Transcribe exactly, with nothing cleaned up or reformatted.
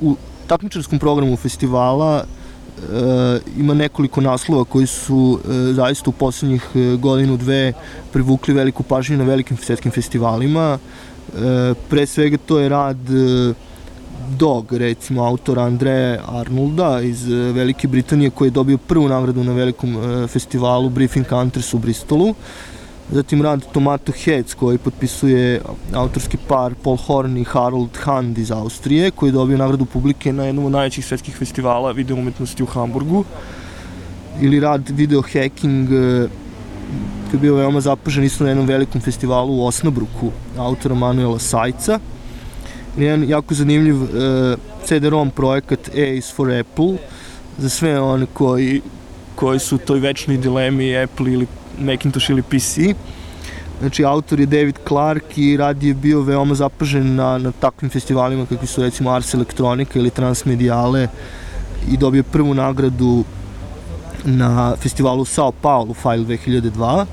u takmičarskom programu festivala e, ima nekoliko naslova koji su e, zaista u poslednjih godinu, dve privukli veliku pažnju na velikim svetskim festivalima. E, pre svega to je rad e, Dog, recimo, autora Andreja Arnolda iz Velike Britanije, koji je dobio prvu nagradu na velikom e, festivalu Briefing Hunters u Bristolu. Zatim rad Tomato Heads, koji potpisuje autorski par Paul Horn i Harold Hand iz Austrije, koji je dobio nagradu publike na jednom od najvećih svetskih festivala video umetnosti u Hamburgu. Ili rad Video Hacking, koji je bio veoma zapažen isto na jednom velikom festivalu u Osnabruku, autora Manuela Sajca. Jedan jako zanimljiv uh, C D ROM projekat A is for Apple, za sve one koji, koji su u toj večnoj dilemi Apple ili Macintosh ili P C. Znači, autor je David Clark i rad je bio veoma zapažen na, na takvim festivalima kakvi su recimo Ars Electronica ili Transmediale i dobio prvu nagradu na festivalu Sao Paulo File dve hiljade dva.